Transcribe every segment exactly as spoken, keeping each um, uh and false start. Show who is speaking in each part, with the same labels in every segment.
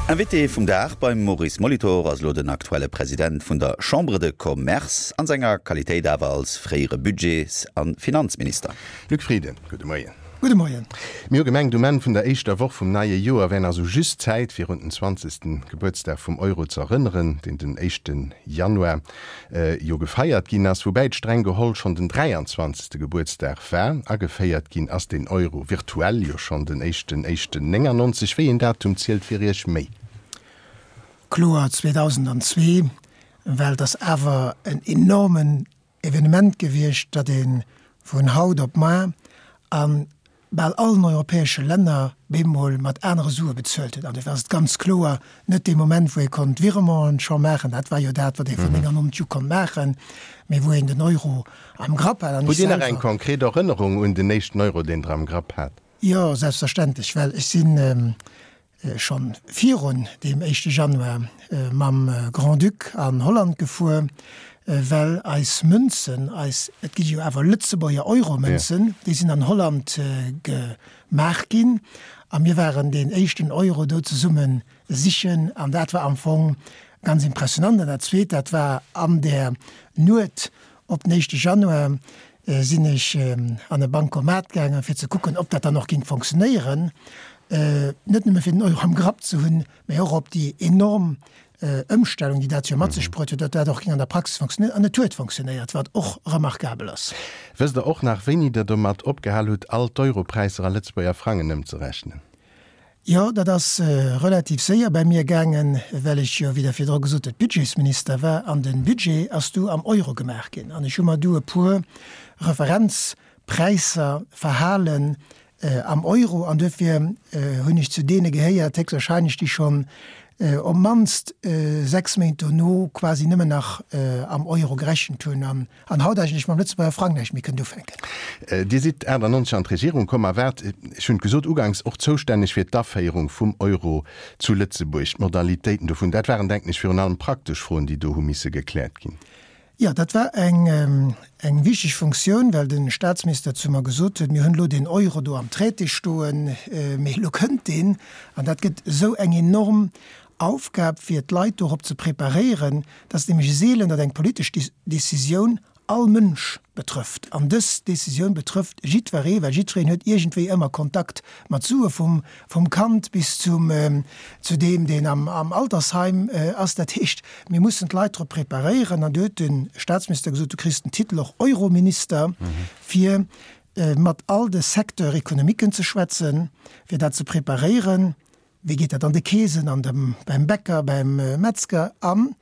Speaker 1: Invité vum Dag beim Maurice Molitor ass elo den aktuelle President vun der Chambre de Commerce, an senger Qualitéit awer als fréiere Budgets a Finanzminister.
Speaker 2: Luc Frieden, gudde Moien.
Speaker 3: Gudde Moien.
Speaker 2: Mir hu gemengt, um Enn vun der éischter Woch vum neie Joer wär nach sou just Zäit, fir un den zwanzegsten Gebuertsdag vum Euro ze erënneren, deen den éischten Januar jo gefeiert ginn ass, woubäi et streng geholl schonn den dräianzwanzegste Gebuertsdag war. Ageféiert ginn ass den Euro virtuell jo schonn den éischten éischten néngannonzeg. Wéi een Datum zielt fir Iech méi?
Speaker 3: Kloer zweedausendzwee, well et ass awer en enormen Evenement gewiescht, datt ee vun haut op mar a bal allen europäesche Länner bemol mat anere Sue bezuelt huet. An dofir ass et ganz kloer net dee Moment, wou ee konnt Virementen scho maachen, dat war jo dat, wat ee vun néngannonzeg u konnt maachen, mee wou een den Euro am Grapp hat. An
Speaker 2: Hutt
Speaker 3: ech
Speaker 2: Dir nach eng
Speaker 3: selwer.
Speaker 2: konkret Erënnerung un den éischten Euro, deen Der am Grapp hat?
Speaker 3: Jo, selbstverständlech, well ech sinn schonn virun deem éischte Januar mam Grand-Duc an Holland gefuer, well eis Mënzen, eis, et gi jo awer Lëtzebuerger Euromënzen, déi sinn an Holland gemaach ginn a mir waren deen éischten Euro do zesumme sichen an dat war am Fong ganz impressionant. An dat Zweet, dat war an där Nuet op den éischte Januar sinn ech an e Bancomat gaangen, fir ze kucken, ob dat dann och géing fonctionnéieren, net nëmme fir den Euro am Grapp ze hunn, mä och ob déi enorm Ëmstellung, déi dat jo mat sech bruet huet, ob dat och géing an der Praxis fonctionnéieren. An et huet fonctionnéiert, wat och remarkabel ass.
Speaker 2: Wësst Der och nach, wéini Der domat opgehal hutt, all d'Europräisser a Lëtzebuerger Frangen ëmzerechnen?
Speaker 3: Jo, dat ass relativ séier bei mir gaangen, well ech jo, wéi Der virdru gesot hutt, Budgetsminister war an de Budget ass du am Euro gemaach ginn. An ech hu mer du e puer Referenzpräisser verhalen am Euro an duerfir hunn ech zu deene gehéiert, héchstwahrscheinlech, déi schonn op d'mannst sechs Méint dono quasi nëmmen nach am Euro gerechent hunn an an haut eigentlech mam Lëtzebuerger Frang näischt méi kënnt ufänken.
Speaker 2: Dir sidd achtannonzeg an d'Regierung komm a waart, ech hunn et gesot uganks, och zoustänneg fir d'Aféierung vum Euro zu Lëtzebuerg, d'Modalitéiten dovun. Dat waren, denken ech, virun allem praktesch Froen, déi do hu misse gekläert ginn.
Speaker 3: Jo, dat war eng eng wichteg Funktioun, well de Statsminister zu mer gesot huet, Mir hunn elo deen Euro do am Traité stoen, mee elo kënnt deen an dat gëtt esou eng enorm Aufgab, fir d'Leit dorop ze preparéieren. Et ass nämlech seelen, datt eng politesch Décisioun all Mënsch betrëfft. An dës Décisioun betrëfft jiddweree, well jiddwereen huet iergendwéi ëmmer Kontakt mat Sue, vum, vum Kand bis zum, zu deem, deen am, am Altersheim ass. Dat heescht, mir mussen d'Leit drop preparéieren. An du huet de Statsminister gesot, du kriss den Titel och Eurominister, fir mat all de Secteurs économiquen ze schwätzen, fir dat ze preparéieren. Wéi geet dat an de Keesen, an dem, beim Bäcker, beim Metzger? An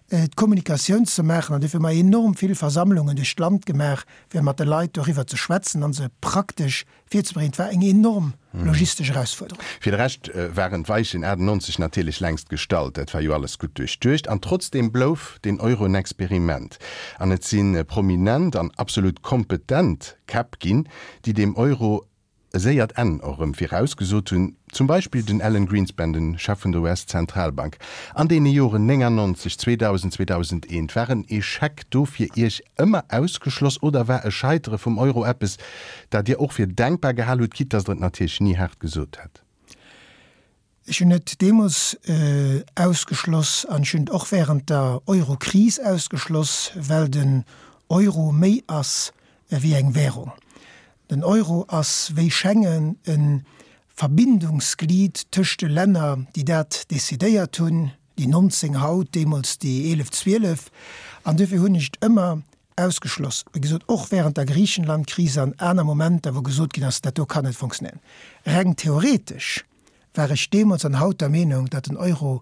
Speaker 3: d'Kommunikatioun ze maachen. An dofir hu mer enorm vill Versammlungen duerch d'Land gemaach, fir mat de Leit doriwwer ze schwätzen a se praktesch virzebréngen. Et war eng enorm logistesch Erausfuerderung.
Speaker 2: Fir de Rescht waren d'Weichen achtannonzeg natierlech längst gestallt. Dat war jo alles gutt duerchduecht. An trotzdeem blouf den Euro en Experiment. An et si prominent an absolut kompetent Käpp ginn, déi deem Euro e séiert Enn och erëm virausgesot hunn, zum Beispill den Alan Greenspan, de Chef vun der U S-Zentralbank. An deene Joren néngannonzeg, zweedausend, zweedausendeent, war en Echec do fir Iech ëmmer ausgeschloss oder war e Scheitere vum Euro eppes, dat Dir och fir denkbar gehal hutt, quitte dass Der et natierlech ni haart gesot hätt?
Speaker 3: Ech hunn et deemools ausgeschloss an ech hunn et och während der Eurokris ausgeschloss, well den Euro méi ass wéi eng Währung. Den Euro ass wéi Schengen e Verbindungsglied tëscht de Länner, déi dat decidéiert hunn, déi nonzéng haut, deemools déi eelef, zwielef. An duerfir hunn ech et ëmmer ausgeschloss, wéi gesot, och während der Griichenlandkris an aner Momenter, wou gesot ginn ass, dat do kann net funktionéieren. Reng theoretesch war ech deemools an haut der Meenung, datt den Euro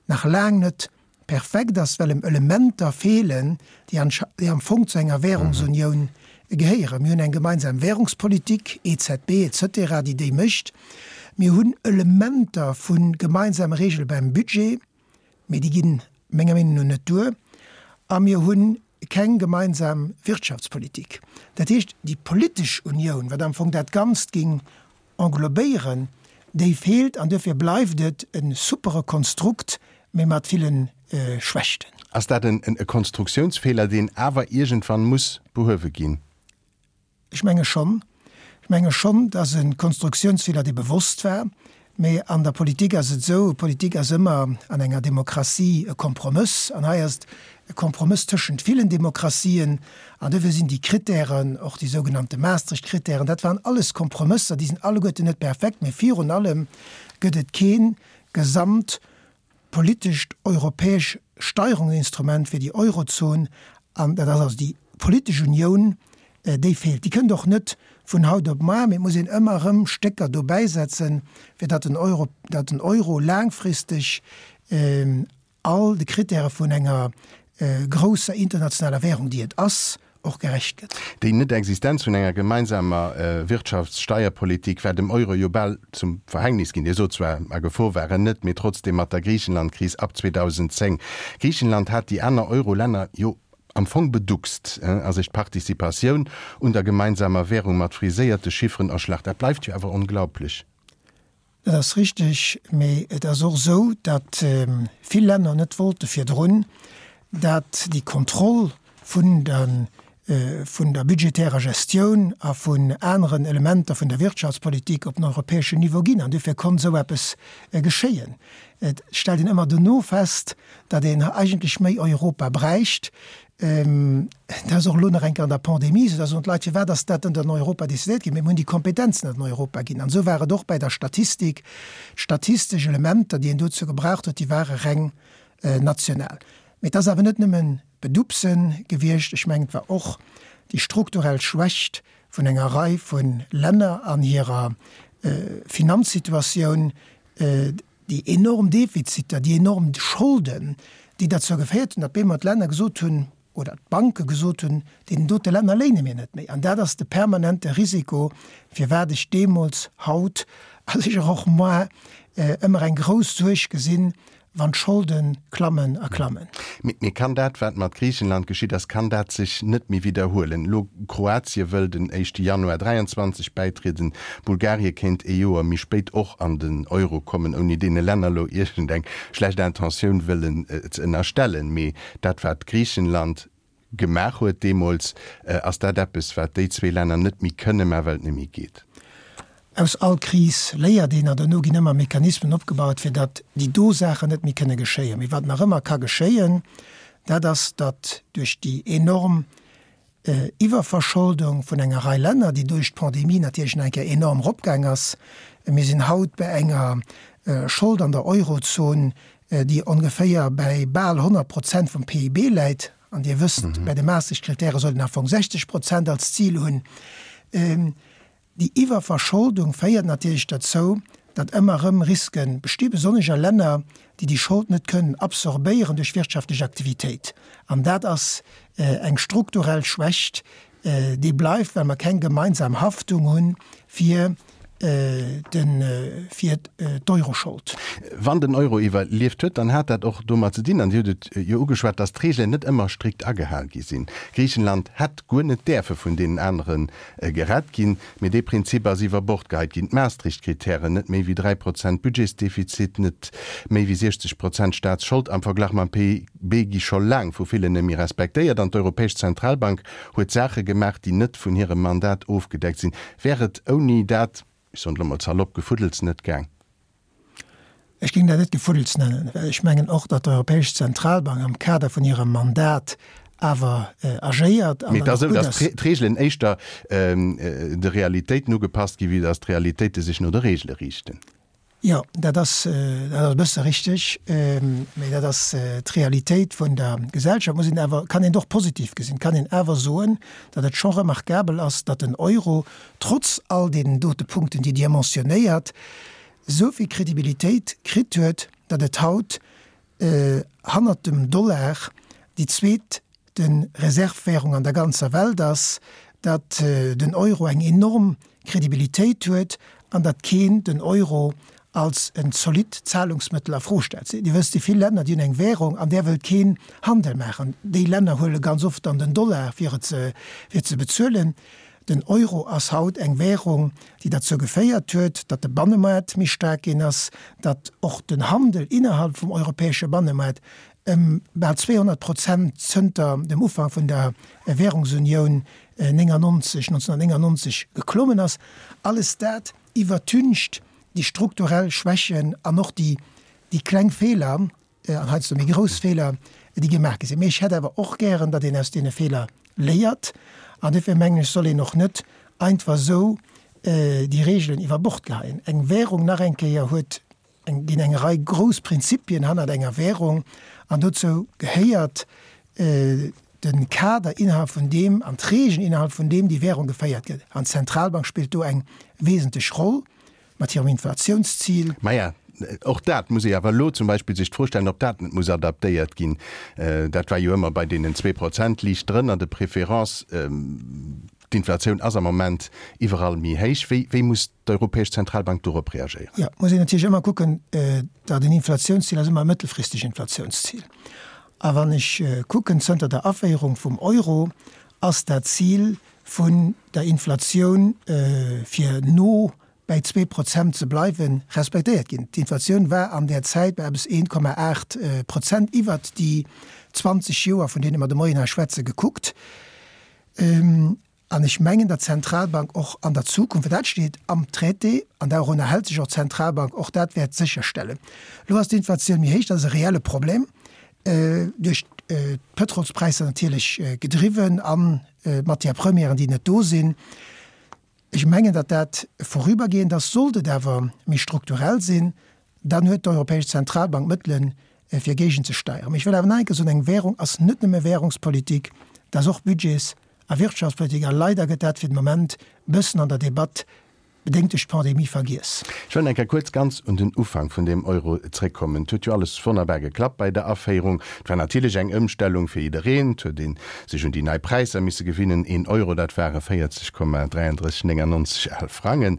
Speaker 3: nach laang net perfekt ass, well em Elementer feelen, déi déi am Fong zu enger Währungsunioun gehéieren. Mir hunn eng gemeinsam Währungspolitik, E Z B et cetera, déi déi mécht. Mir hunn Elementer vu gemeinsame Regele beim Budget, mee déi ginn menger Meenung no net duer. A mir hunn keng gemeinsam Wirtschaftspolitik. Dat heescht, déi politesch Unioun, wat am Fong dat Ganzt géing englobéieren, déi feelt an duerfir bleift et e supere Konstrukt, mee mat ville Schwächten.
Speaker 2: Ass dat en e Konstruktiounsfeeler, deen awer iergendwann muss behuewe ginn?
Speaker 3: Ech menge schonn. Ech menge schonn, dass e Konstruktiounsfeeler, dee bewosst war, Mee an der Politik ass et esou, Politik ass ëmmer an enger Demokratie e Kompromëss. An hei ass et e Kompromëss tëschent villen Demokratien. An dofir sinn déi Kritären, och déi sougenannte Maastricht-Kritären, dat waren alles Kompromësser, déi sinn alleguerten net perfekt, mee virun allem gëtt et kee gesamtpolitescht europäesch Steierungsinstrument fir déi Eurozon. An dat ass also déi politesch Unioun, déi feelt. Déi kënnt och net vun haut op muar, mee et muss een ëmmer erëm Stécker dobäisetzen, fir datt den Euro, datt den Euro laangfristeg all de Kritäre vun enger grousser internationaler Währung, déi et ass, och gerecht gëtt.
Speaker 2: Déi Net-Existenz vun enger gemeinsamer Wirtschafts-Steierpolitik war dem Euro jo bal zum Verhängnis ginn. Dir sot zwar, a Gefor war en net, mee trotzdem mat der Griichenland-Kris ab zweedausendzéng. Griichenland hat déi aner Euro-Länner jo am Fong beduckst a sech d'Participatioun un der gemeinsamer Währung mat friséierte Chifferen erschlach. Dat bleift jo awer onglaublech.
Speaker 3: Dat ass richteg, mee et ass och esou, datt vill Länner net wollte virdrun, datt déi Kontroll vun der vun der budgetärer Gestioun a vun aneren Elementer vun der Wirtschaftspolitik op den europäeschen Niveau ginn. An duerfir konnt esou eppes geschéien. Et stellt een ëmmer dono fest, datt een eigentlech méi Europa bräicht. Dat ass och elo nach eng Kéier an der Pandemie esou, da soen d'Leit, firwat ass dat dann an Europa decidéiert ginn? Mee mir hunn déi Kompetenzen net an Europa ginn. An esou war et och bäi der Statistik. D'statistesch Elementer, déi een dozou gebraucht huet, déi ware reng national. Mee et ass awer net nëmmen Bedupse gewiescht. Ech mengen, et war och déi strukturell Schwächt vun enger Rei vu Länner an hirer Finanzsituatioun, déi enorm Defiziter, déi enorm Scholden, déi derzou geféiert hunn, datt bemol d'Länner gesot hunn, oder d'Banke gesot hunn, deenen dote Länner léine mir net méi. An dat ass de permanente Risiko, firwat ech deemools, haut a sécher och muar ëmmer eng grouss Suerg gesinn, wann d'Scholde klammen a klammen.
Speaker 2: Mee kann dat, wat mat Griichenland geschitt ass, kann dat sech net méi widderhuelen? Elo Kroatie wëll den éischte Januar dräianzwanzeg bäitrieden, Bulgarie kéint ee Joer méi spéit och an den Euro kommen, ouni deene Länner elo iergendeng schlecht Intentioun wëllen ze ënnerstellen. Mee dat, wat Griichenland gemaach huet deemools, ass dat eppes, wat déi zwee Länner net méi kënne maachen, well et net méi geet.
Speaker 3: Aus all Kris léiert een an dono ginn ëmmer Mechanismen opgebaut, fir datt déi do Saachen net méi kënne geschéien. Mee wat nach ëmmer ka geschéien, dat ass, datt duerch déi enorm Iwwerverscholdung vun enger Rei Länner, déi duerch d'Pandemie natierlech nach eng Kéier enorm eropgaang ass, mir sinn haut bei enger Schold an der Eurozon, déi ongeféier bäi bal honnert Prozent vum P I B läit, an Dir wësst, bei de Maastricht-Kritäre sollt een am Fong sechzeg Prozent als Zil hunn. Déi Iwwerverscholdung féiert natierlech derzou, datt ëmmer erëm Riske besti, besonnesch a Länner, déi déi Schold net kënnen absorbéieren duerch wirtschaftlech Aktivitéit. An dat ass eng strukturell Schwächt, déi bleift, well mer keng gemeinsam Haftung hu fir fir d'Euroschold.
Speaker 2: Wann den Euro iwwerlieft huet, dann hat dat och domat ze dinn, an Dir hutt et jo ugeschwat, datt d'Reegelen net ëmmer strikt agehal gi sinn. Griichenland hätt guer net däerfe vun deenen anere gerett ginn, mee dee Prinzip ass iwwer Bord geheit ginn. D'Maastricht-Kritären, net méi wéi dräi Prozent Budgetsdefizit, net méi wéi siechzeg Prozent Staatsschold am Verglach mam P I B, gi scho laang vu villen net méi respektéiert. An d'Europäesch Zentralbank huet Saache gemaach, déi net vun hirem Mandat ofgedeckt sinn. Wär et ouni dat, ech soen elo mol salopp, Gefuddels net gaang?
Speaker 3: Ech géing dat net Gefuddels nennen, well ech mengen och, datt d'Europäesch Zentralbank am Kader vun hirem Mandat awer agéiert an
Speaker 2: Mee et
Speaker 3: dann
Speaker 2: ass
Speaker 3: och
Speaker 2: esou,
Speaker 3: gutt
Speaker 2: datt
Speaker 3: ass.
Speaker 2: d'Reegelen éischter de Realitéiten ugepasst ginn, wéi datt d'Realitéite sech no de Reegele riichten.
Speaker 3: Jo, dat ass, dat ass e bësse richteg, mee dat ass d'Realitéit vun der Gesellschaft. Muss een awer, kann een och positiv gesinn, kann een awer soen, datt et scho remarkabel ass, datt den Euro trotz all deenen dote Punkten, déi Dir mentionnéiert, esou vill Kredibilitéit kritt huet, datt et haut hannert dem Dollar déi zweet de Reservwährung an der ganzer Welt ass, datt den Euro eng enorm Kredibilitéit huet an datt keen den Euro als en zolidd Zahlungsmëttel a Fro stellt. Dir wësst, déi vill Länner, déi hunn eng Währung, an där wëllt keen Handel maachen. Déi Länner huele ganz oft dann den Dollar, fir et ze, fir ze bezuelen. Den Euro ass haut eng Währung, déi derzou geféiert huet, datt de Bannemaart méi staark ginn ass, datt och den Handel innerhalb vum europäesche Bannemaart ëm bal zweehonnert Prozent zënter dem Ufank vun der Währungsunioun néngannonzeg, neunzehnhundertneunundneunzig geklommen ass. Alles dat iwwertüncht déi strukturell Schwächen an och déi, déi kleng Feeler, an heiansdo méi grouss Feeler, déi gemaach gi sinn. Mee ech hätt awer och gären, datt een aus deene Feeler léiert. An duerfir mengen ech, soll een och net einfach esou déi Regeln iwwer Bord geheien. Eng Währung, nach eng Kéier, huet eng, ginn eng Rei grouss Prinzipien hannert enger Währung an dozou gehéiert de Kader, innerhalb vun deem, an d'Regeln, innerhalb vun deem déi Währung geféiert gëtt. An d'Zentralbank spillt do eng wesentlech Roll mat hirem Inflationszil.
Speaker 2: Maja, och dat muss ee awer elo zum Beispill sech d'Fro stellen, ob dat net muss adaptéiert ginn. Dat war jo ëmmer bei deenen zwee Prozent, liicht drënner de préférence. D'Inflatioun ass am Moment iwwerall méi héich. Wéi, wéi muss d'Europäesch Zentralbank dorop reagéieren?
Speaker 3: Jo, muss een natierlech ëmmer kucken, datt en Inflatiounszil ass ëmmer e mëttelfristeg Inflatiounszil. A wann ech kucken, zënter der Aféierung vum Euro ass dat Zil vun der Inflatioun, fir no bäi zwee Prozent ze bleiwen, respektéiert ginn. D'Inflatioun war an där Zäit bei eppes een Komma aacht Prozent iwwert déi zwanzeg Joer, vun deene mer de Moien hei schwätzen, gekuckt. An ech mengen, datt d'Zentralbank och an der Zukunft, well dat steet am Traité an dorunner hält sech och d'Zentralbank, och dat wäert sécherstellen. Elo ass d'Inflatioun méi héich, dat ass e reelle Problem, duerch d'Pëtrolspräisser natierlech gedriwwen an d'Matière-premièren, déi net do sinn. Ech mengen, datt dat vorübergehend ass. Sollt et awer méi strukturell sinn, dann huet d'Europäesch Zentralbank Mëttelen, fir géigenzesteieren. Mee ech wëll awer nach eng Kéier soen, eng Währung ass net nëmme Währungspolitik, dat ass och Budgets a Wirtschaftspolitik. A leider gëtt dat fir de Moment e bëssen an der Debatt, bedéngt duerch d'Pandemie, vergiess.
Speaker 2: Ech wëll eng Kéier kuerz ganz un den Ufank vun deem Euro zréckkommen. Et huet jo alles wonnerbar geklappt bei der Aféierung. Et war natierlech eng Ëmstellung fir jiddereen. Et huet ee sech un déi nei Präisser misse gewinnen. Een Euro, dat ware véierzeg Komma dräiandrësseg néngannonzeg al Frangen.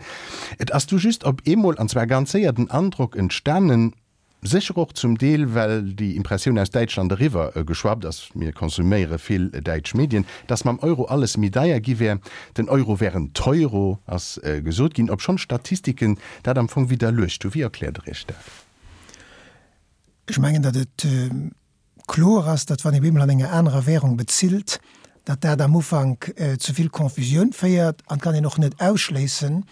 Speaker 2: Et ass du just op eemol, an zwar ganz séier, den Androck entstanen, Sécher och zum Deel, well déi Impressioun aus Däitschland eriwwer geschwappt ass, mir konsuméiere vill däitsch Medien, dass mam Euro alles méi deier gi wär. Den Euro wär en Teuro, ass gesot ginn, obschonn d'Statistiken dat am Fong widderluecht hu. Wéi erkläert Der Iech dat?
Speaker 3: Ech mengen, datt et kloer ass, datt wann ee bemol an enger anerer Währung bezilt, datt dat am Ufank zu vill Confusioun féiert. An et kann een och net ausschléissen,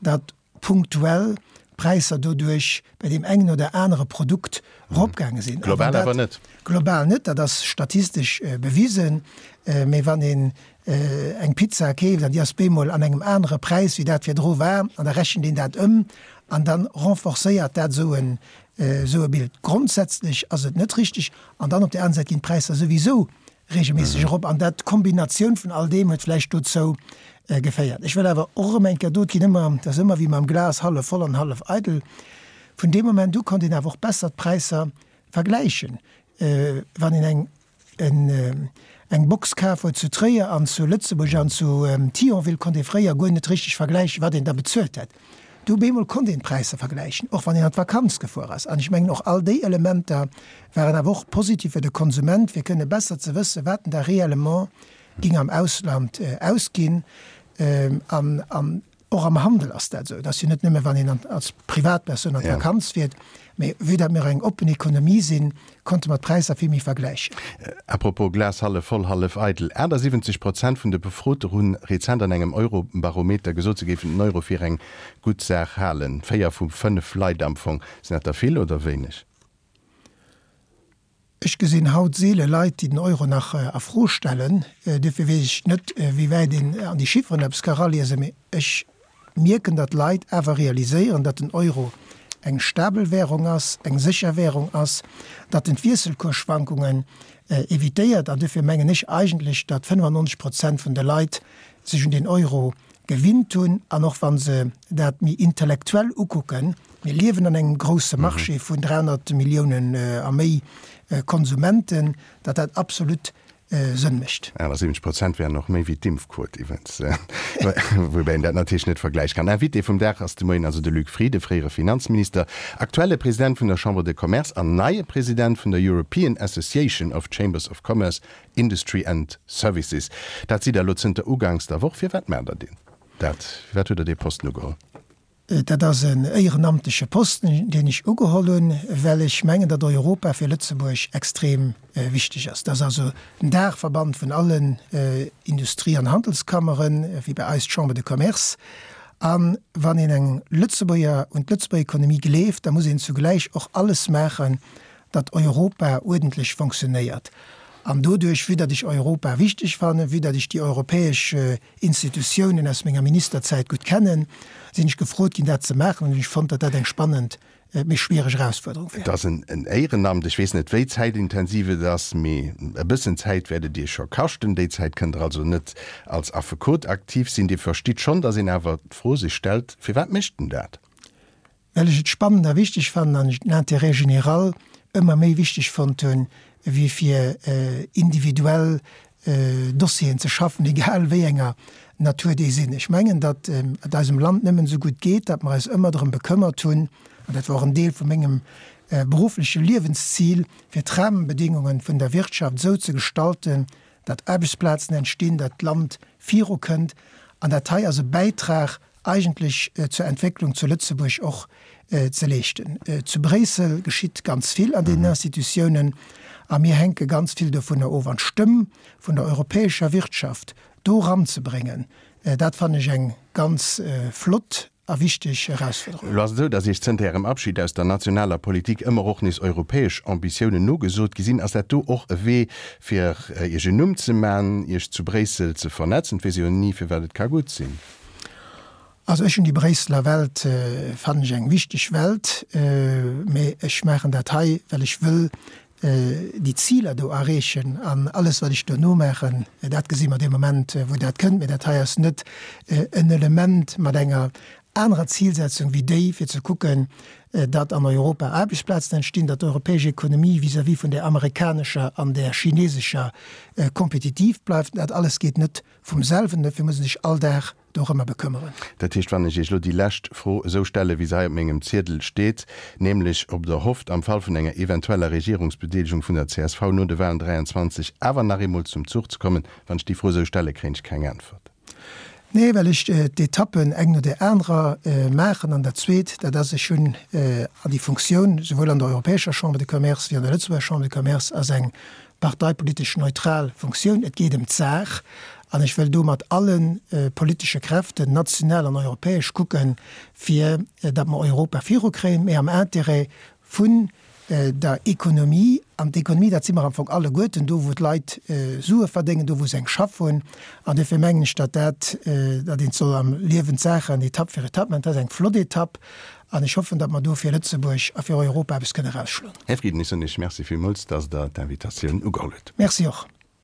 Speaker 3: datt punktuell d'Präisser doduerch bei deem engen oder anere Produkt eropgaange sinn.
Speaker 2: Global awer net.
Speaker 3: Global net, dat ass statistesch bewisen. Mee wann een eng Pizza keeft an déi ass bemol an engem anere Präis wéi dat virdru war, an da rechent een dat ëm an da renforcéiert dat esou en esou e Bild. Grondsätzlech ass et net richteg. An dann op där aner Säit ginn d'Präisser souwisou regelméisseg erop an dat, d'Kombinatioun vun all deem huet vläicht dozou geféiert. Ech wëll awer och erëm eng Kéier, do, et ginn ëmmer, dat ass ëmmer wéi mam Glas hallef voll an hallef eidel, vun deem Moment u konnt een awer och besser d'Präisser vergläichen. Wann een eng, en, eng Box kaf huet zu Tréier an zu Lëtzebuerg an zu Thionville, konnt ee fréier guer net richteg vergläichen, wat een da bezuelt hätt. Du op eemol konnt een d'Präisser vergläichen, och wann een an d'Vakanz gefuer ass. An ech mengen, och all déi Elementer waren awer och positiv fir de Konsument, fir kënne besser ze wëssen, wat en da réellement ging am Ausland ausginn. An, an och am Handel ass dat esou. Et ass jo net nëmme, wann een an, als Privatpersoun an d'Vakanz fiert, mee vue datt mir eng oppen Ekonomie sinn, konnte mer d'Präisser vill méi vergläichen.
Speaker 2: À propos Glas hallef voll, hallef eidel, achtasiwwenzeg Prozent vun de Befrote hu rezent an engem Eurobarometer gesot, se géifen den Euro fir eng gutt Saach halen. Véier vu fënnef Leit am Fong. Sinn dat der vill oder wéineg?
Speaker 3: Ech gesinn haut seele Leit, déi den Euro nach a Fro stellen. Duerfir weess ech net, wéi wäit een an déi Chifferen eppes ka eraliesen. Mee ech mierken, datt Leit awer realiséieren, datt den Euro eng stabel Währung ass, eng sécher Währung ass, datt en d'Wiesselkursschwankungen evitéiert. An duerfir mengen ech eigentlech, datt fënnefannonzeg Prozent vun de Leit sech un den Euro gewinnt hunn. An och wa se dat méi intellektuell ukucken, mir liewen an engem grousse Marché vun dräihonnert Milliounen a méi Konsumenten, datt dat absolut Sënn mécht.
Speaker 2: Achtasiwwenzeg Prozent wären och méi wéi d'Impfquot iwwens, woubäi een dat natierlech net vergläiche kann. Invité vum Dag ass de Moien also de Luc Frieden, fréiere Finanzminister, aktuelle President vun der Chambre de Commerce an neie President vun der European Association of Chambers of Commerce, Industry and Services. Dat sidd Der elo zënter uganks der Woch. Firwat maacht Der deen dat? Firwat hutt Der dee Posten ugeholl?
Speaker 3: Dat ass en éierenamtleche Posten, deen ech ugeholl hunn, well ech mengen, datt Europa fir Lëtzebuerg extrem wichteg ass. Dat ass also den Daachverband vun allen Industrie an Handelskammeren, wéi bei eis d'Chambre de Commerce. An wann een eng Lëtzebuerger un d'Lëtzebuerger Ekonomie gleeft, da muss een zugläich och alles maachen, datt Europa uerdentlech fonctionnéiert. An doduerch, vue datt ech Europa wichteg fannen, vue datt ech déi europäesch Institutiounen aus menger Ministerzäit gutt kennen, sinn ech gefrot ginn, dat ze maachen, an hunn ech fonnt, datt dat eng spannend, mee schwiereg Erausfuerderung
Speaker 2: wär. Et ass en Éierenamt. Ech weess net, wéi zäitintensiv et ass, mee e bëssen Zäit wäert et Iech scho kaschten. Déi Zäit kënnt Der also net als Affekot aktiv sinn. Dir verstitt schonn, datt een awer d'Fro sech stellt, Firwat mécht en dat?
Speaker 3: Well ech et spannend a wichteg fannen an ech den Intérêt général ëmmer méi wichteg fonnt hunn, wéi fir individuell Dossieren ze schaffen, egal wéi enger Natur déi sinn. Ech mengen, datt et eisem Land nëmmen esou gutt geet, datt mer eis ëmmer drëm bekëmmert hunn, an dat war och en Deel vu mengem beruffleche Liewenszil, fir d'Rahmenbedingungen vun der Wirtschaft esou ze gestalten, datt Aarbechtsplazen entstinn, datt d'Land virukënnt. An dat hei ass e Bäitrag eigentlech zur Entwécklung zu Lëtzebuerg och ze leeschten. Zu Bréissel geschitt ganz vill an deenen Institutiounen a mir hänke ganz vill dovunner of. An d'Stëmm vun der europäescher Wirtschaft do eranzebréngen, dat fannen ech eng ganz flott a wichteg Erausfuerderung.
Speaker 2: Elo ass et esou, datt Iech zënter Ärem Abschid aus der nationaler Politik ëmmer och nees europäesch Ambitiounen nogesot gi sinn. Ass dat do och e Wee, fir Iech en Numm ze man, Iech zu Bréissel ze vernetzen? Et weess ee jo ni, firwat et ka gutt sinn.
Speaker 3: Also ech hunn déi Bréisseler Welt, fannen ech eng wichteg Welt, mee ech maachen dat hei, well ech wëll déi Ziler do erreechen an alles wat ech duerno maachen, dat gesi mer dee Moment wou dat kënnt. Mee dat hei ass net en Element mat enger anerer Zilsetzung wéi déi, fir ze kucken, datt an Europa Aarbechtsplazen entstinn, datt d'europäesch Ekonomie vis-à-vis vun där amerikanescher an där chinesescher kompetitiv bleift. Dat alles geet net vum selwen, dofir muss ee sech all Dag dorëmmer bekëmmeren.
Speaker 2: Dat heescht, wann ech Iech elo déi lescht Fro esou stelle wéi se hei op mengem Ziedel steet, nämlech ob Der hofft, am Fall vun enger eventueller Regierungsbedeelegung vun der csv no de Wahlen dräianzwanzeg awer nach eemol zum Zuch ze kommen, wann ech déi Fro esou stelle, kréien ech keng Äntwert.
Speaker 3: Nee, well ech d'Etappen eng no där anerer maachen. An dat Zweet, dat ass, ech hunn an déi Funktioun, souwuel an der Europäescher Chambre de Commerce wéi an der Lëtzebuerger Chambre de Commerce, ass eng parteipolitesch neutral Funktioun. Et geet ëm d'Saach an ech wëll do mat alle politesche Kräften, national an europäesch, kucken, fir datt mer Europa virukréien, mä am Intérêt vun der Ekonomie. An d'Ekonomie, dat si mer am Fong alleguerten, do wou d'Leit Sue verdéngen, do wou se eng Schaff hunn. An dofir mengen ech, datt dat, datt een soll am Liewen d'Saachen Etapp fir Etapp maachen. Dat ass eng flott Etapp an ech hoffen, datt mer do fir Lëtzebuerg a fir Europa eppes kënne erausschloen.
Speaker 2: Här Frieden, ech soen Iech Merci villmools, datt Der d'Invitatioun ugeholl hutt.
Speaker 3: Merci och.